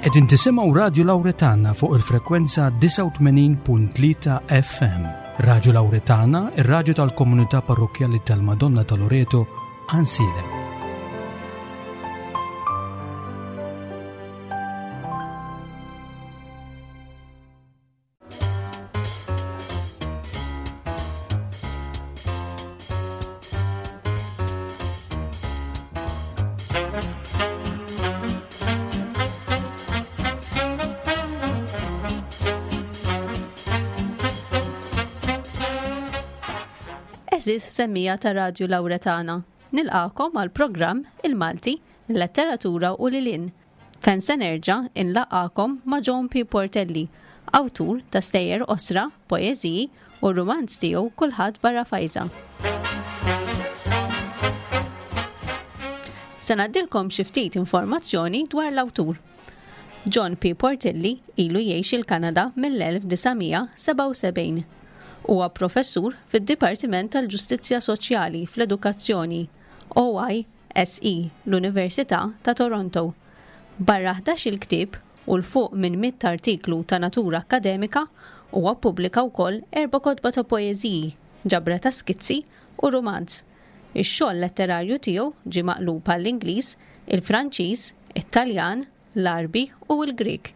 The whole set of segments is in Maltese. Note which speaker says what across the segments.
Speaker 1: Qegħdin tisimgħu Radju Lawretana fuq il-frekwenza 89.3 FM. Radju Lawretana, ir-radju tal-komunità parrokkjali tal-Madonna ta' Loreto, Ansiedem.
Speaker 2: Eżis semmija ta' Radju Lawretana, nilqakom għal programm Il-Malti, il-Letteratura u Lilin Fejn se nerġa' inlaqqagħkom ma' John P. Portelli, awtur ta' stejjer qosra, poeżiji u r-rumanz tiegħu Kulħadd Barra Fajża. Se ngħaddilkom xi ftit informazzjoni dwar l-awtur. John P. Portelli ilu jgħix il-Kanada mill-1977. Huwa professur fid-Dipartiment tal-Ġustizzja Soċjali fl-Edukazzjoni, OI, SE, l-Università ta' Toronto. Barra ħdax-il ktieb u 'l fuq minn mitt artiklu ta' natura akkademika, huwa ppubblika wkoll erba' kotba ta' poeżiji, ġabra ta' skizzi u rumanz. Ix-xogħol letterarju tiegħu ġie maqlub għall-Ingliż, il-Franċiż, it-Taljan, l-Għarbi u l-Grieg.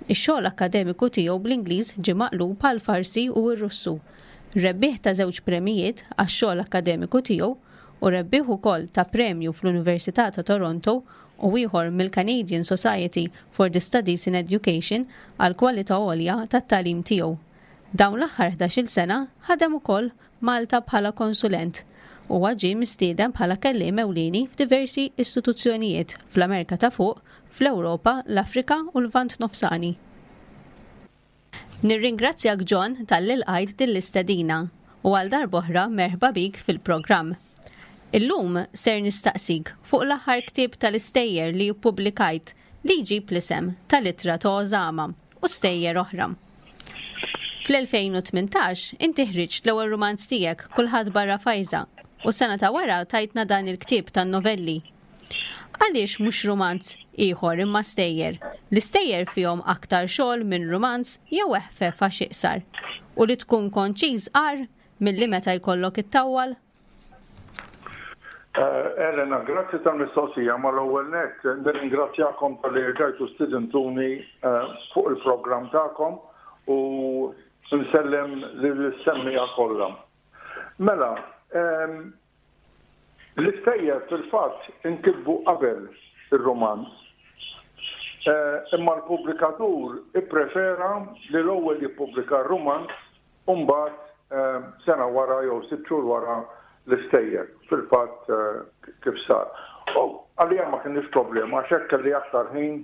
Speaker 2: Ix-xogħol akkademiku tiegħu bl-Ingliż ġie maqlub għall-Farsi u r-Russu. Rebbieħ ta' żewġ premijiet għax-xogħol akkademiku tiegħu u rebbieħ ukoll ta' premju fl-Università ta' Toronto u ieħor mill-Canadian Society for the Studies in Education għall-kwalità għolja tat-tagħlim tiegħu. Dawn l-aħħar ħdax-il sena ħadem ukoll Malta bħala konsulent. Huwa ġie mistieden bħala kelliem ewlieni f'diversi istituzzjonijiet fl-Amerka ta' Fuq, fl-Ewropa, l-Afrika u l-Lvant Nofsani. Nirringrazzjak John talli lqajt din l-istedina u għal darb'oħra merħba bik fil-programm. Illum ser nistaqsik fuq l-aħħar ktieb tal-istejjer li ppubblikajt li jġib l-isem tal-Ittra ta' Osama u stejjer oħra. Fl-2018 inti ħriġt l-ewwel rumanz tiegħek Kulħadd Barra Fajża u s-sena ta' wara tajtna dan il-ktieb tan-novelli. Għaliex mhux rumanz ieħor imma stejjer? L-istejjer fihom aktar xogħol minn rumanz jew eħfef għax iqsar? U li tkun konċiż agħar milli meta jkollok ittawwal?
Speaker 3: Elena, grazzi tal-mistoqsija. Mal-ewwel nett nirringrazzjakom talli rġajtu stidintuni fuq il-programm tagħkom u nsellem lill-semmiegħa kollha. Mela, l-istejjer fil-fatt inkitbu qabel ir-rumanz. Imma l-pubblikatur ipprefera li l-ewwel jippubblika r-rumanz U mbagħad sena wara jew sitt xhur wara l-istejjer, fil-fatt kif sar. U għalija ma kinitx problema għax hekk kelli aktar ħin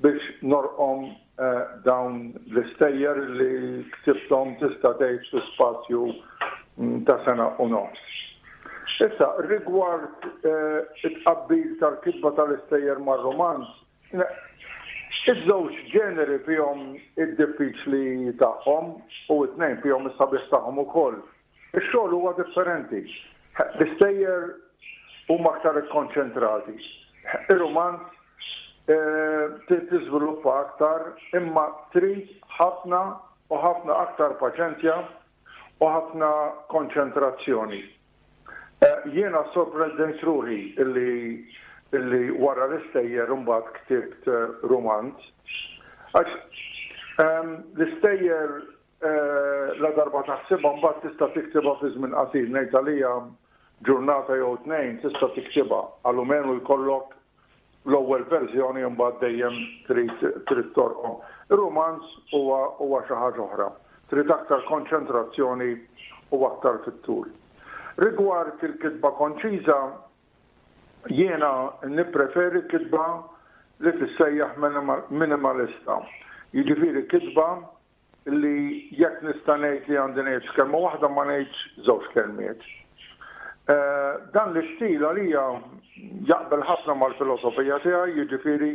Speaker 3: biex norqom dawn l-istejjer li ktibthom tista' tgħid fi spazju ta' sena u nofs. Issa, rigward it-tqabbil tal-kitba tal-istejjer mar-rumanz, Iż-żewġ ġeneri fihom id-diffiċli tagħhom u t-tnejn fihom is-sabiħ tagħhom ukoll. Ix-xogħol huwa differenti. L-istejjer huma aktar ikkonċentrati. Ir-rumanz trid tiżviluppa aktar imma trid ħafna u ħafna aktar paċenzja u ħafna konċentrazzjoni. Jiena ssorprendejt ruħi li li wara l-istejjer imbagħad ktibt rumanz. Għax l-istejjer ladarba taħsibha mbagħad tista' tiktibha fi żmien qasir, ngħid għalija ġurnata jew tnejn tista' tiktibha, alumenu jkollok l-ewwel verżjoni imbagħad dejjem trid trid torqom. Ir-rumanz huwa huwa xi ħaġa oħra. Trid aktar konċentrazzjoni u aktar fit-tul. Rigward il-kitba konċiża, jiena nippreferi kitba li tissejjaħ minimalista. Jiġifieri kitba li jekk nista' ngħid li għandi ngħid f'kelma waħda ma ngħidx żewġ kelmiet. Dan l-istil għalija jaqbel ħafna mal-filosofija tiegħi, jiġifieri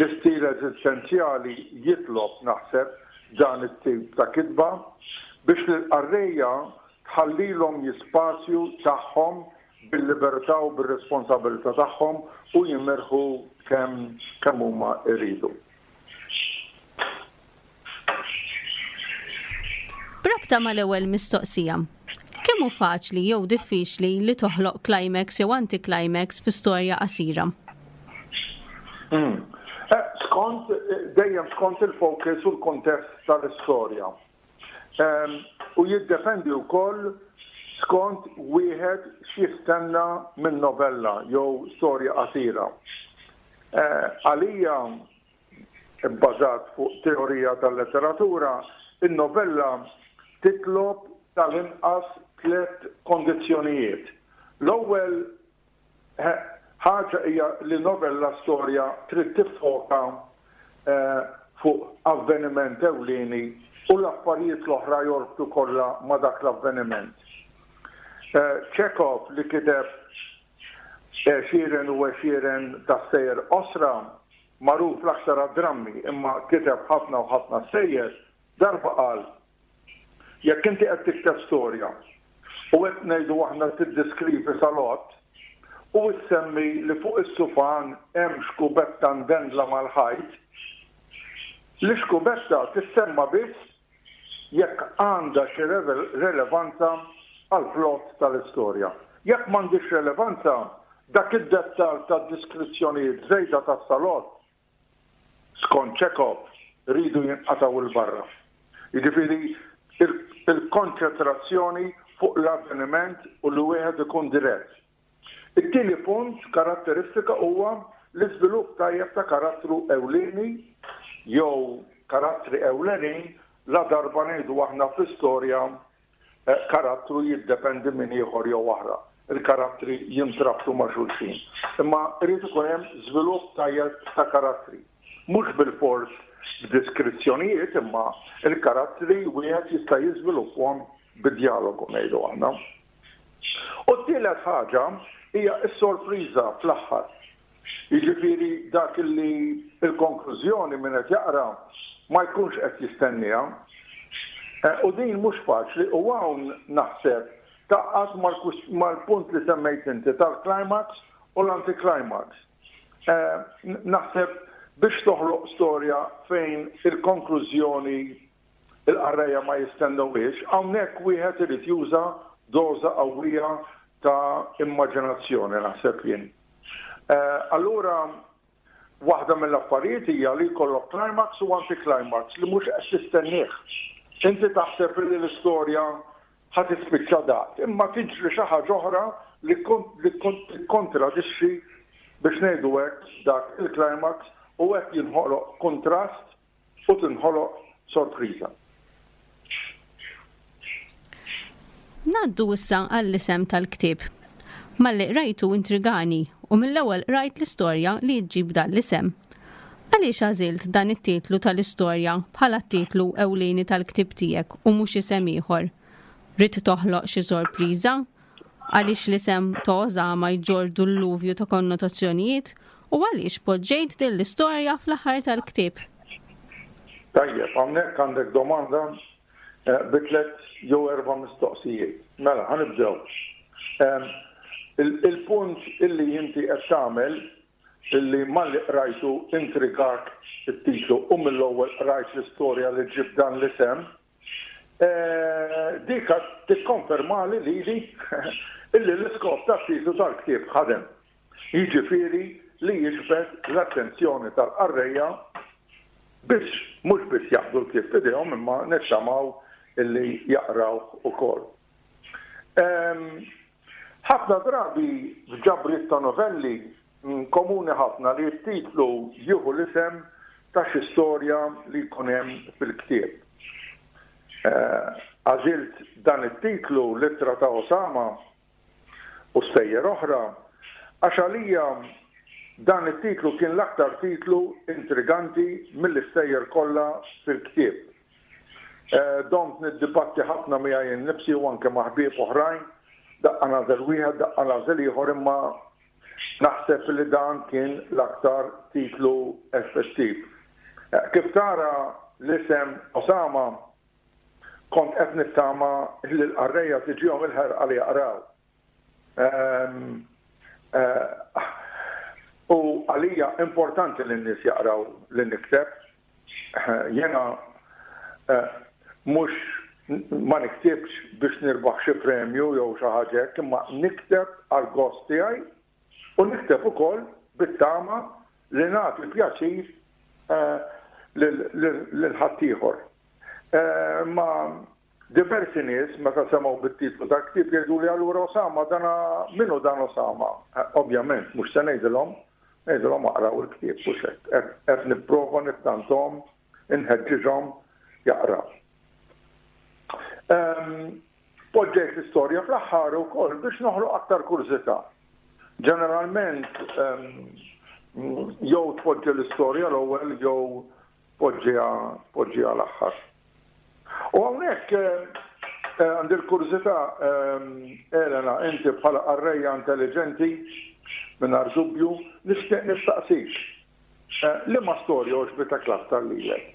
Speaker 3: l-istil eżistenzjali jitlob, naħseb, dan it-tip ta' kitba biex lill-qarrejja tħallilhom l-ispazju tagħhom bil-libertà u bir-responsabilità tagħhom u jimirħu kemm kemm huma jridu.
Speaker 2: B'rabta mal-ewwel mistoqsija, kemm hu faċli jew diffiċli li toħloq climax jew anti-climax fi storja qasira?
Speaker 3: Hmm. Eh, skont, dejjem skont il-focus u l-kontest tal-istorja. Ehm, u jiddependi wkoll skont wieħed x'jistenna minn novella jew storja qasira. Eh, għalija Ibbażat fuq teorija tal-letteratura, in-novella titlob tal-inqas tlett kondizzjonijiet. L-ewwel ħaġa hija li novella storja trid tiffoka fuq avveniment ewlieni u l-affarijiet l-oħra jorbtu kollha ma' dak l-avveniment. Chekhov li kiteb Għexieren u għexieren ta' stejjer qosra, magħruf l-aktar għad-drammi imma kiteb ħafna u ħafna stejjer, darba qal, Jekk inti qed tikteb storja u qed ngħidu aħna tiddiskrivi salott u ssemmi li fuq is-sufan hemm xkubetta ndendla mal-ħajt, l-ixkubetta tissemma biss jekk għandha xi relevanza għall-plot tal-istorja. Jekk m'għandhiex relevanza, dak id-dettall ta' diskrizzjonijiet żejda tas-salott, skont Chekhov, iridu jinqatgħu 'l barra. Jiġifieri il-konċentrazzjoni fuq l-avveniment u li wieħed ikun dirett. It-tieni punt karatteristika huwa l-iżvilupp tajjeb ta' karattru ewlieni jew karattri ewlenin ladarba ngħidu aħna fl-istorja karattru jiddependi minn ieħor jew oħra. Il-karattri jintrabtu ma' xulxin. Imma jrid ikun hemm żvilupp tajjeb ta' karattri. Mhux bilfors b'diskrizzjonijiet imma l-karattri wieħed jista' jiżvilupphom bi djalogu ngħidu aħna. U t-tielet ħaġa hija s-sorpriża fl-aħħar. Jiġifieri dak li l-konklużjoni min qed jaqra ma jkunx qed jistennieha. U din mhux faċli u hawn naħseb tgħaqqad mal-punt li semmejt inti tal-climax u l-anti-climax. Naħseb biex toħloq storja fejn il-konklużjoni il-qarrejja ma jistennewhiex, hawnhekk wieħed irid juża doża qawwija ta' immaġinazzjoni naħseb jien. Allura waħda mill-affarijiet hija li jkollok climax u anti-climax li mhux qed tistennieh. Inti taħseb li l-istorja ħa tispiċċa daqt, imma tiġri xi ħaġa oħra li tikkontradixxi biex ngħidu hekk dak il-climax u hekk jinħoloq kuntrast u tinħoloq sorpriża.
Speaker 2: Ngħaddu issa għall-isem tal-ktieb. Malli qrajtu intrigani u mill-ewwel qrajt l-istorja li ġġib dan l-isem. Għaliex għażilt dan it-titlu tal-istorja bħala t-titlu ewlieni tal-ktieb tiegħek u mhux isem ieħor? Ridt toħloq xi sorpriża? Għaliex l-isem ta' Osama jġorr dulluvju ta' konnotazzjonijiet u għaliex poġġejt din l-istorja fl-aħħar tal-ktieb?
Speaker 3: Tajjeb, hawnhekk għandek domanda bi tlett jew erba' mistoqsijiet. Mela, ħa nibdew. Il-punt illi inti qed tagħmel illi malli qrajtu intrigak it-titlu u mill-ewwel qrajt l-istorja li ġġib dan l-isem, Dik tikkonfermali lili illi l-iskop tat-titlu tal-ktieb ħadem, jiġifieri li jiġbed l-attenzjoni tal-qarrejja biex mhux biss jaqbdu l-ktieb f'idejhom imma nittamaw illi jaqrawh ukoll. Ħafna drabi f'ġabriet ta' novelli Komuni ħafna li t-titlu jieħu l-isem ta' xi storja li jkun hemm fil-ktieb. Għażilt dan it-titlu, L-Ittra ta' Osama u Stejjer Oħra, għax għalija dan it-titlu kien l-aktar titlu intriganti mill-istejjer kollha fil-ktieb. Domt niddibatti ħafna miegħi nnifsi u anke ma' ħbieb oħrajn, daqqa nagħżel wieħed, daqqa nagħżel ieħor imma Naħseb li dan kien l-aktar titlu effettiv. Kif tara l-isem Osama, kont qed nittama li l-qarrejja tiġihom il-ħerqa li jaqraw. U għalija importanti li n-nies jaqraw li nikteb. Jiena mhux Ma niktibx biex nirbaħ xi premju jew xi ħaġa hekk, imma nikteb għall-gost tiegħi u nikteb ukoll bit-tama li nagħti pjaċir lil ħaddieħor. Imma diversi nies meta semgħu bit-titlu tal-ktieb jgħiduli allura Osama dan min hu dan Osama? Ovvjament mhux se ngħidilhom, ngħidilhom aqraw il-ktieb hux hekk. Qed nipprova nittanthom, inħeġġiġhom jaqraw. Poġġejt l-istorja fl-aħħar ukoll biex noħloq aktar kurżità. Ġeneralment jew tpoġġi l-istorja l-ewwel jew tpoġġiha tpoġġiha l-aħħar. U hawnhekk għandi l-kurżità Elena, inti bħala qarrejja intelliġenti mingħajr dubju, nixtieq nistaqsik. Liema storja għoġbitek l-aktar lilek?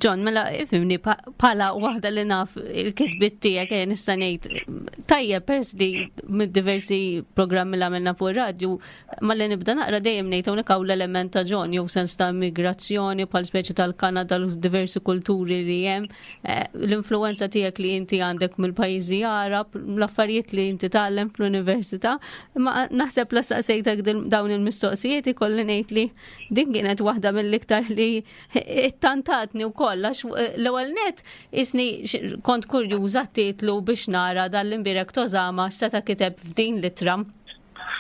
Speaker 2: John, mela ifimni pala waħda li naf il-kitbit tiegħek eh, nista' ngħid tajjeb pers li mid-diversi programmi li għamilna fuq ir-radju, malli nibda naqra dejjem ngħid hawnhekk hawn l-element ta' John jew sens ta' immigrazzjoni bħal speċi tal-Kanada l diversi kulturi li hemm, eh, l-influenza tiegħek li inti għandek mill-pajjiżi Arab, l-affarijiet li inti tgħallem fl-università, imma naħseb la staqsejtek dawn il-mistoqsijiet ikolli ngħid li Din kienet waħda mill-iktar li ittantatni wkoll għax eh, l-ewwel net isni kont kurjuża titlu biex nara dal-imbirek tożama x'seta' kiteb f'din l-ittra.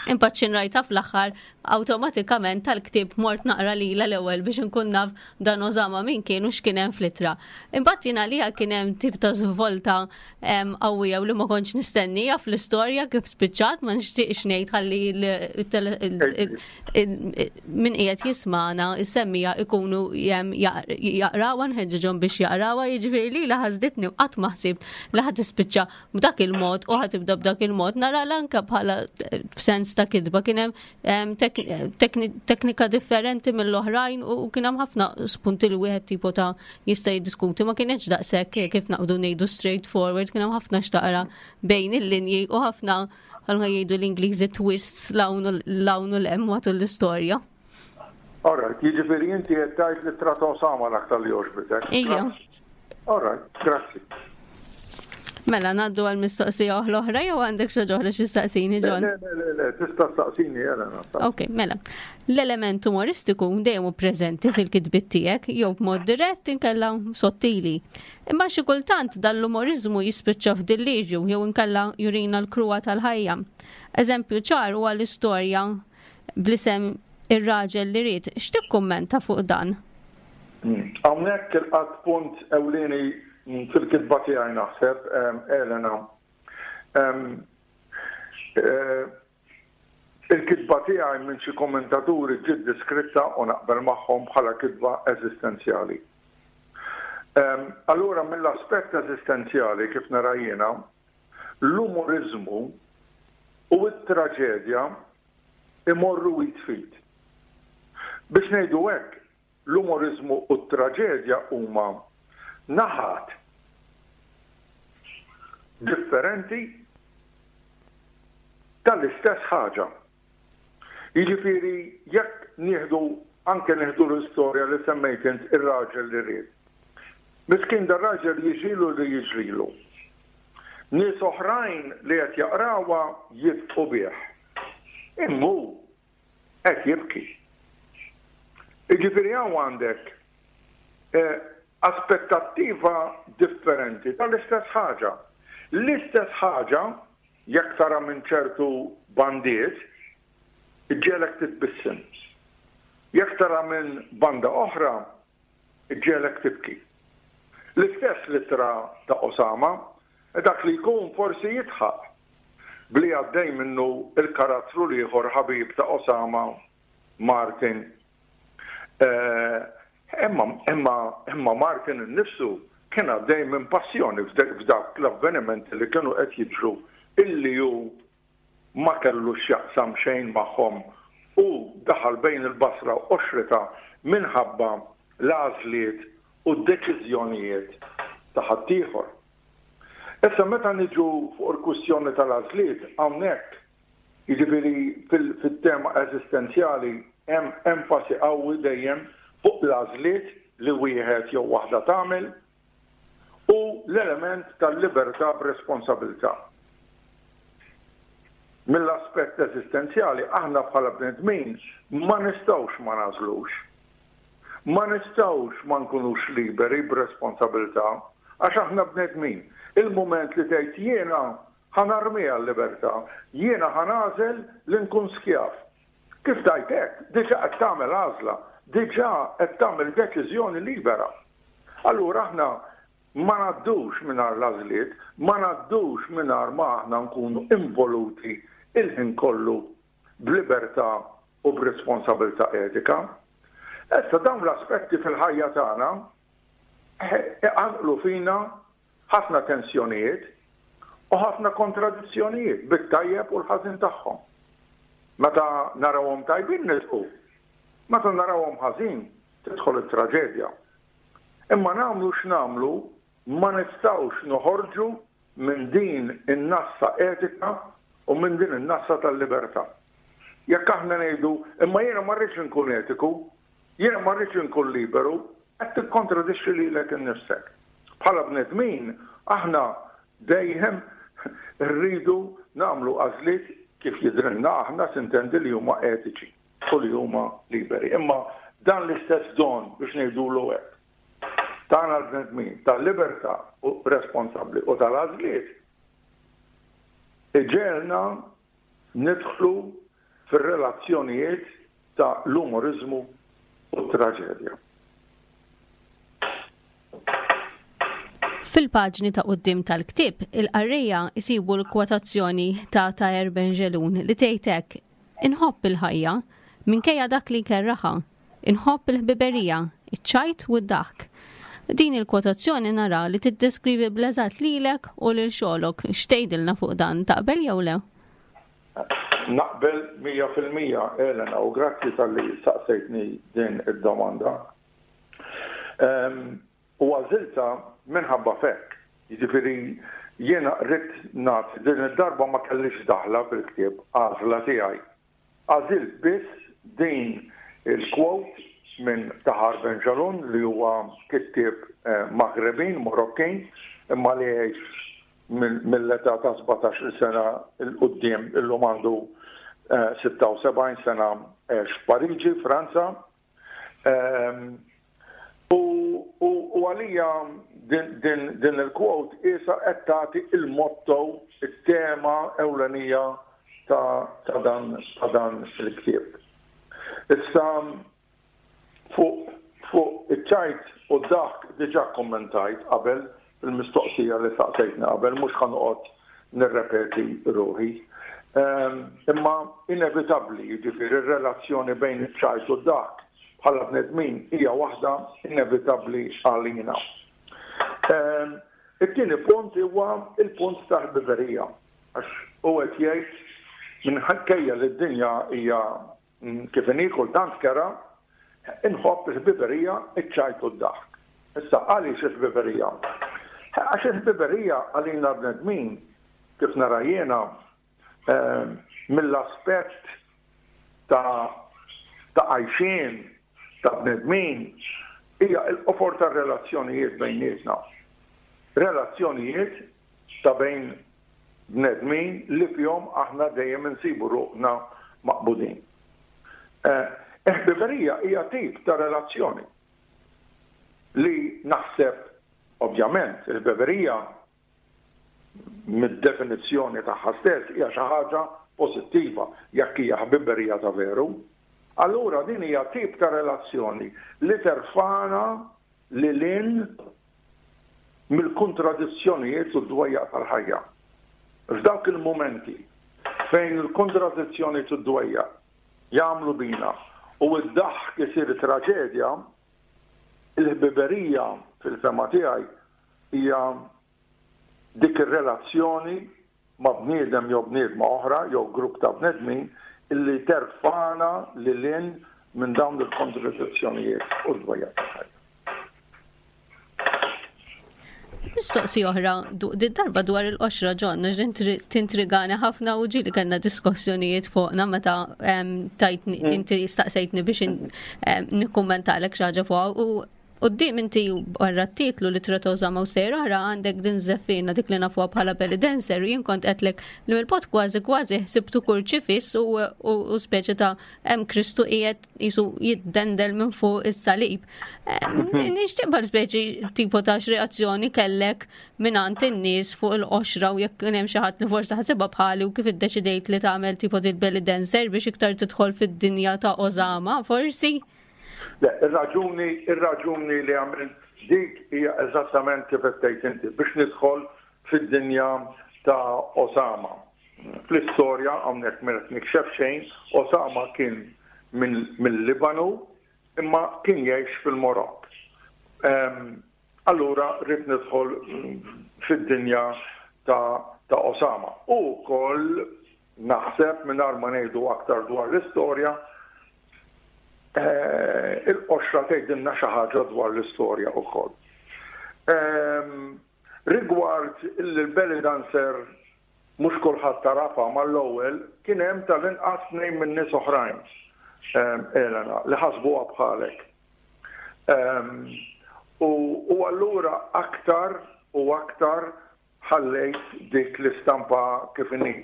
Speaker 2: Imbagħad xi rajta fl-aħħar awtomatikament tal-ktieb mort naqra lila l-ewwel biex inkun naf dan Osama min kien u x'kien hemm fl-ittra. Imbagħad jien għalija kien hemm tip ta' żvolta qawwija u li ma kontx nistennija fl-istorja kif spiċċat ma nixtieqx ngħid ħalli min qiegħed jismana is-semmija ikunu jaqrawha nħeġġiġhom biex jaqrawha jiġifieri li la ħasditni u qatt ma ħsibt li ħad tispiċċa b'dak il-mod u ħad tibda b'dak il-mod nara l-anke bħala eh, f'sens ta' kitba kien hemm teknika differenti mill-oħrajn u kien hemm ħafna spunti li wieħed tipo ta' jista' jiddiskuti ma kienx daqshekk kif naqbdu ngħidu straight forward kien hemm ħafna xtaqra bejn il-linji u ħafna bħalma jgħidu l-Ingliżi twists l-hawn u l-hemm matul l-istorja.
Speaker 3: Alright, jiġifieri inti qed tgħid li trata Osama l-aktar li għoġbitek.
Speaker 2: Ija.
Speaker 3: Alright, grazzi.
Speaker 2: Mela, naddu għal mistoqsija oħra oħra jew għandek xi oħra xi staqsini, John?
Speaker 3: Le, le, le, le, tista' staqsini Elena.
Speaker 2: Ok, mela. L-element umoristiku dejjem hu preżenti fil-kitbiet tiegħek jew b'mod dirett inkella sottili. Imma xi kultant dan l-umoriżmu jispiċċa f'dillirju jew inkella jurina l-kruha tal-ħajja. Eżempju ċar huwa l-istorja bl-isem Ir-Raġel li Ried. X'tikkummenta fuq dan?
Speaker 3: Hawnhekk ilqatt punt ewlieni fil-kitba tiegħi naħseb, Elena. Il-kitba tiegħi minn xi kommentaturi ġiet deskritta, u naqbel magħhom, bħala kitba eżistenzjali. Allura mill-aspett eżistenzjali, kif nara jiena, l-umoriżmu u t-traġedja imorru id f'id. Biex ngħidu hekk, L-umoriżmu u t-traġedja huma naħat differenti tal-istess ħaġa. Jiġifieri jekk nieħdu anke nieħdu l-istorja li semmejt int ir-raġel li ried. Miskin dar-raġel jiġrilu li jiġrilu. Nies oħrajn li qed jaqrawha jidħqu bih. Imma hu qed jibki. Jiġifieri hawn għandek aspettattiva differenti tal-istess ħaġa. L-istess ħaġa, jekk tara minn ċertu bandiet, iġġegħlek titbissem. Jekk tara minn banda oħra, iġġegħlek tibki. L-istess l-ittra ta' Osama, dak li jkun forsi jidħaq b'li għaddej minnu l-karattru l-ieħor ħabib ta' Osama, Martin. Imma, imma, imma Martin innifsu kien għaddej minn passjoni f'dawk l-avvenimenti li kienu qed jiġru illi hu ma kellu x'jaqsam xejn magħhom u daħal bejn il-basra u qoxritha minħabba l-għażliet u d-deċiżjonijiet ta' ħaddieħor. Issa meta niġu fuq il-kwistjoni tal-għażliet hawnhekk, jiġifieri fit-tema eżistenzjali hemm enfasi qawwi dejjem fuq l-għażliet li wieħed jew waħda tagħmel. Hu l-element tal-libertà b'responsabilità. Mill-aspett eżistenzjali aħna bħala bnedmin ma nistgħux ma nagħżlux. Ma nistgħux ma nkunux liberi b'responsabilità għax aħna bnedmin. Il-mument li tgħid jiena ħa narmiha l-libertà, jiena ħa nagħżel li nkun skjav. Kif tgħid hekk, diġà qed tagħmel għażla, diġà qed tagħmel deċiżjoni libera. Allura aħna ma ngħaddux mingħajr l-għażliet, ma ngħaddux mingħajr ma aħna nkunu involuti il-ħin kollu b'libertà u b'responsabilità etika. Issa dawn l-aspetti fil-ħajja tagħna iqanqlu fina ħafna tensjonijiet u ħafna kontradizzjonijiet bit-tajjeb u l-ħażin tagħhom. Meta narawhom tajbin nidħku, meta narawhom ħażin tidħol it-traġedja. Imma nagħmlu x'nagħmlu ma nistgħux noħorġu minn din in-nassa etika u minn din in-nassa tal-libertà. Jekk aħna ngħidu imma jiena ma rridx inkun etiku, jiena ma rridx inkun liberu, qed tikkontradixxi lilek innifsek. Bħala bnedmin aħna dejjem rridu nagħmlu għażliet kif jidhrilna aħna sintendi li huma etiċi u li huma liberi. Imma dan l-istess don biex ngħidulu hekk tagħna l-bnedmin tal-libertà u responsabbli u tal-għażliet iġegħelna nidħlu fir-relazzjonijiet ta' l-umoriżmu u t-traġedja.
Speaker 2: Fil-paġni ta' quddiem tal-ktieb, il-qarrejja jsibu l-kwotazzjoni ta' Taher Benjelloun li tgħid hekk, Inħobb il-ħajja, minkejja dak li jkerraħha. Inħobb il-ħbiberija, iċ-ċajt u d-daħk. Din il-kwotazzjoni nara li tiddeskrivi bl-eżatt lilek u lil xogħlok. X'tgħidilna fuq dan, taqbel jew le?
Speaker 3: Naqbel 100%, Elena, u grazzi talli saqsejtni din id-domanda. U għażiltha minħabba f'hekk. Jiġifieri jiena ridt nagħti, din id-darba ma kellix daħla fil-ktieb, għażla tiegħi. Għażilt biss din il-quote minn Tahar Ben Jalloun li huwa kittieb Maghrebin, Morokkin, imma li jgħix mill-età ta' sbatax-il sena 'l quddiem, illum għandu 76 sena għex f'Pariġi, Franza. U għalija din il-quote qiesha qed tagħti il-motto, it-tema ewlenija ta' dan ta' dan il-ktieb. Issa fuq fuq iċ-ċajt u d-daħk diġà kkummentajt qabel fil-mistoqsija li saqsejtni qabel, mhux ħa noqgħod nirrepeti ruħi. Imma inevitabbli, jiġifieri r-relazzjoni bejn iċ-ċajt u d-daħk bħala bnedmin hija waħda inevitabbli għalina. It-tieni punt huwa l-punt tal-ħbiberija. Għax hu qed jgħid minkejja li d-dinja hija Kif inhi kultant kerha, inħobb il-ħbiberija, iċ-ċajt u d-daħk. Issa, għaliex il-ħbiberija? Għax il-ħbiberija għalina l-bnedmin, kif nara jiena, mill-aspett ta' ta' għajxien ta' bnedmin, hija l-qofol tar-relazzjonijiet bejnietna. Relazzjonijiet ta' bejn bnedmin li fihom aħna dejjem insibu ruħna maqbudin. Il-ħbiberija hija tip ta' relazzjoni li naħseb, ovvjament, il-ħbiberija mid-definizzjoni tagħha stess hija xi ħaġa pożittiva jekk hija ħbiberija ta' veru. Allura din hija tip ta' relazzjoni li terfagħna lil hinn mill-kontradizzjonijiet u d-dwejjaq tal-ħajja. F'dawk il-mumenti fejn il-kontradizzjonijiet u d-dwejjaq jagħmlu bina u d-daħk isir traġedja, il-ħbiberija fil-fehma tiegħi hija dik ir-relazzjoni ma' bniedem jew bniedma oħra jew grupp ta' bnedmin illi terfagħna lil hinn minn dawn il-kontradizzjonijiet u d-dwejjaq tal-ħajja.
Speaker 2: Mistoqsi oħra, din darba dwar il-qoxra John, għax tintrigani ħafna u ġieli kellna diskussjonijiet fuqna meta tajtni mm. inti staqsejtni biex nikkummentalek xi ħaġa fuqha u. Quddiem inti barra t-titlu li Tret Osama u Stejjer Oħra għandek din żeffina dik li nafuha bħala belly dancer u jien kont qedlek li mill-bogħod kważi kważi ħsibtu kurċifiss u, u, u speċi ta' hemm Kristu qiegħed jisu jiddendel minn fuq is-salib. Nixtieq bħal speċi tipo ta' x'reazzjoni kellek mingħand in-nies fuq il-qoxra u jekk kien hemm xi ħadd li forsi ħasibha bħali u kif iddeċidejt li tagħmel tipo dit belly dancer biex iktar tidħol fid-dinja ta' Osama forsi.
Speaker 3: Le, ir-raġuni, ir-raġuni li għamilt dik hija eżattament kif qed tgħid inti, biex nidħol fid-dinja ta' Osama. Fl-istorja, hawnhekk m'qed nikxef xejn, Osama kien mill-Libanu imma kien jgħix fil-Marokk. Allura ridt nidħol fid-dinja ta' Osama. U wkoll naħseb, mingħajr ma ngħidu aktar dwar l-istorja, il-qoxra tgħidilna xi ħaġa dwar l-istorja wkoll. Rigward il-belly dancer mhux kulħadd tagħrafha mal-ewwel, kien hemm tal-inqas tnejn minn nies oħrajn, Elena, li ħasbuha bħalek. U allura aktar u aktar ħallejt dik l-istampa kif inhi.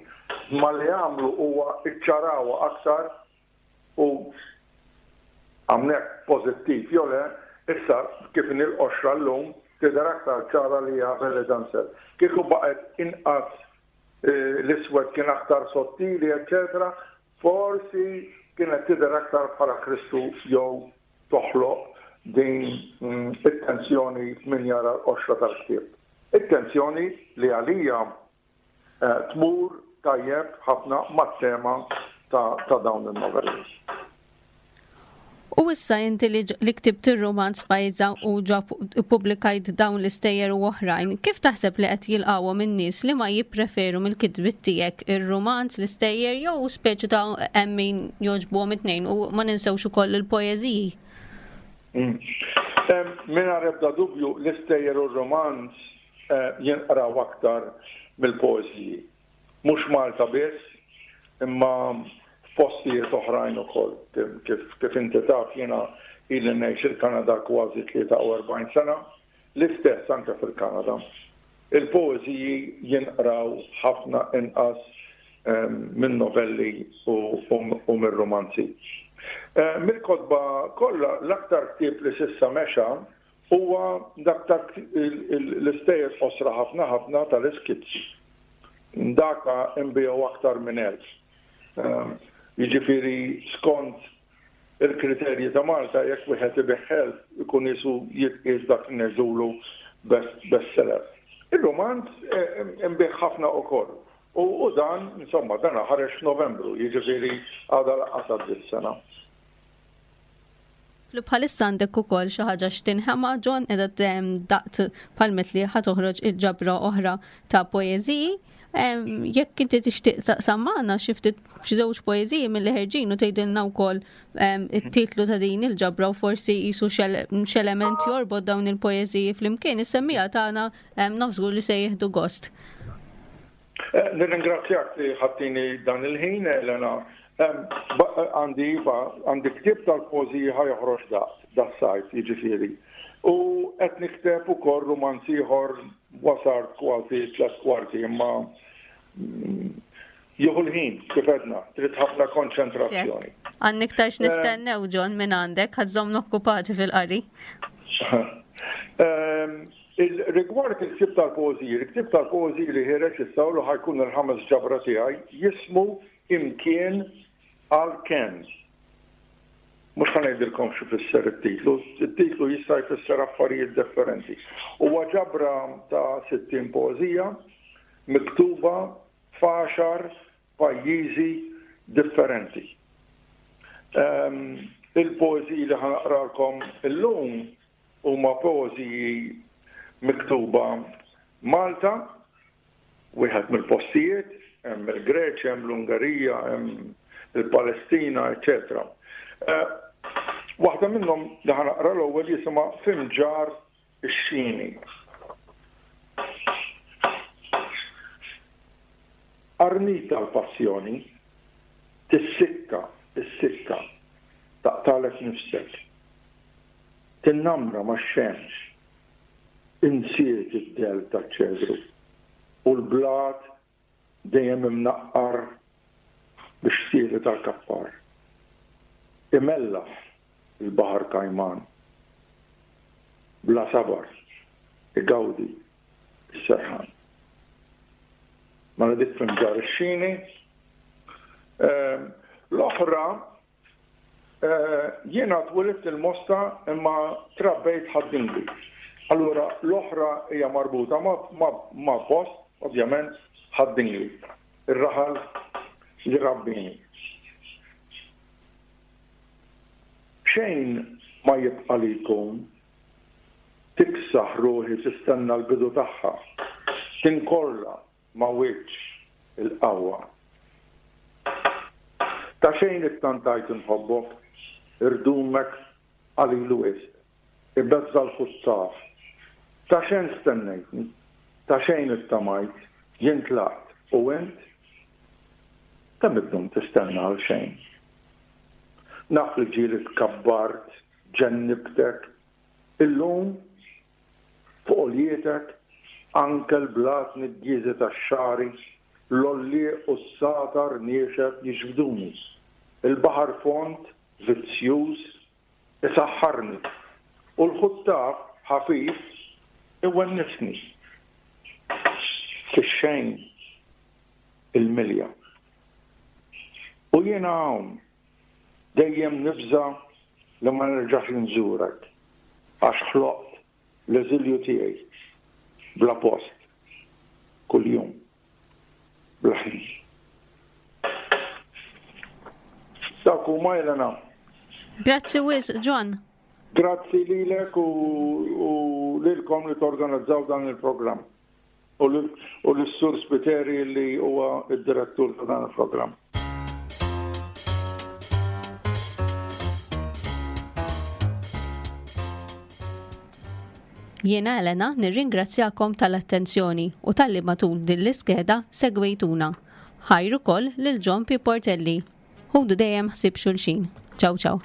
Speaker 3: Imma li għamlu huwa iċċarawha aktar u hawnhekk pożittiv jew le, issa kif inhi l-qoxra llum tidher aktar ċara li hija belly dancer. Kieku baqgħet inqas l-iswed kien aktar sottili eċċetera, forsi kienet tidher aktar bħala Kristu jew toħloq din it-tensjoni f'min jara l-qoxra tal-ktieb. It-tensjoni li għalija tmur tajjeb ħafna mat-tema ta' dawn in-novelli.
Speaker 2: U issa inti li ktibt ir-rumanz Fajza u ġa ppubblikajt dawn l-istejjer u oħrajn, kif taħseb li qed jilqgħuhom in-nies li ma jippreferu mill-kitbiet tiegħek, ir-rumanz, l-istejjer jew speċi ta' hemm min jogħġbuhom it-tnejn u ma ninsewx ukoll il-poeżiji?
Speaker 3: Mingħajr ebda dubju l-istejjer u r-rumanz jinqraw aktar mill-poeżiji. Mhux Malta biss, imma f'postijiet oħrajn ukoll. Kif inti taf jiena ili ngħix il-Kanada kważi 43 sena, l-istess anke fil-Kanada. Il-poeżiji jinqraw ħafna inqas min-novelli u mir-rumanzi. Mill-kotba kollha l-aktar ktieb li s'issa mexa Huwa dak ta' l-istejjer qosra ħafna ħafna tal-iskizzi. Daka nbiegħu aktar minn 1000. Jiġifieri skont il-kriterji ta' Malta jekk wieħed ibigħ 1000 ikun qisu jitqies dak li ngħidulu best best seller. Ir-rumanz inbiegħ ħafna ukoll. U dan, insomma, dan ħareġ f'Novembru, jiġifieri għadha lanqas għaddiet sena.
Speaker 2: Li bħalissa għandek ukoll xi ħaġa x'tinħema, John, qiegħda daqt bħal li ħa toħroġ il-ġabra oħra ta' poeżiji. Jekk inti tixtieq taqsam magħna xi ftit xi żewġ poeżiji milli ħerġin u tgħidilna wkoll it-titlu ta' din il-ġabra u forsi jisu x'element jorbot dawn il-poeżiji flimkien, is-semmija tagħna naf żgur li se jieħdu gost.
Speaker 3: Eh, nirringrazzjak li ħattini dan il-ħin, Elena. Għandi iva, għandi ktieb tal-poeżiji ħa joħroġ daqt, das-sajf, jiġifieri. U qed nikteb ukoll rumanz ieħor wasart kważi tlet kwarti, imma jieħu l-ħin, kif għedna, trid ħafna konċentrazzjoni.
Speaker 2: Għandna iktar x'nistennew, John, minn għandek, ħa żżommna okkupati fil-qari.
Speaker 3: Rigward il-ktieb tal-poeżiji, il-ktieb tal-poeżiji li ħiereġ issa u li ħa jkun il-ħames ġabra tiegħi jismu Imkien għal Kenn. Mhux ħa ngħidilkom x'ifisser it-titlu, it-titlu jista' jfisser affarijiet differenti. Huwa ġabra ta' 60 poeżija miktuba f'għaxar pajjiżi differenti. Il-poeżiji li ħa naqralkom illum Huma poeżiji miktuba Malta, wieħed mill-postijiet, hemm il-Greċja, hemm l-Ungerija, hemm il-Palestina, eċċetera. Waħda minnhom li ħa naqra l-ewwel jisimha Fimġar ix-Xini. Qarnita l-passjoni, tissikka, issikka, taqtagħlek nifsek. Tinnamra max-xemx. Insiet id-dell taċ-ċedru u l-blat dejjem imnaqqar bix-xtieli tal-kappar. Imellaħ il-baħar kajman. Bla sabar igawdi s-serħan. Mela dik f'Imġarr ix-Xini. L-oħra Jiena twilidt il-Mosta imma trabbejt Ħad-Dingli. Allura l-oħra hija marbuta ma' post, ovvjament, Ħad-Dingli, ir-raħal li rabbini. Xejn ma jibqa' li jkun, tiksaħ ruħi tistenna l-bidu tagħha, tinkorla ma' wiċċ il-qawwa. Ta' xejn ittantajt inħobbok, irdumek qalil wisq, ibeżża' l-ħuttaf. Ta' xejn stennejtni, ta' xejn ittamajt, jien tlaqt, u int? Kemm iddum tistenna għalxejn? Naf li ġieli tkabbart, ġennibtek, illum Fuq għoljietek, anke l-blat niggieżi tax-xagħri, l-għollieq u s-sagħtar niexef jiġbduni. Il-baħar fond, vizzjuż, isaħħarni, u l-ħuttaf ħafif iwennisni. Fix-xejn il-milja. U jiena hawn, dejjem nibża' li ma nerġax inżurek, għax ħloqt l-eżilju tiegħi bla post, kuljum, bla ħin. Dawk huma Elena.
Speaker 2: Grazzi wisq John.
Speaker 3: Grazzi lilek u, u lilkom li torganizzaw dan il-programm. U lis-Sur Spiteri li huwa d-direttur ta' dan il-programm.
Speaker 2: Jiena Elena nirringrazzjakom tal-attenzjoni u talli matul din l-iskeda segwejtuna. Ħajr ukoll lil John P. Portelli. Ħudu dejjem ħsieb xulxin. Ciao ciao.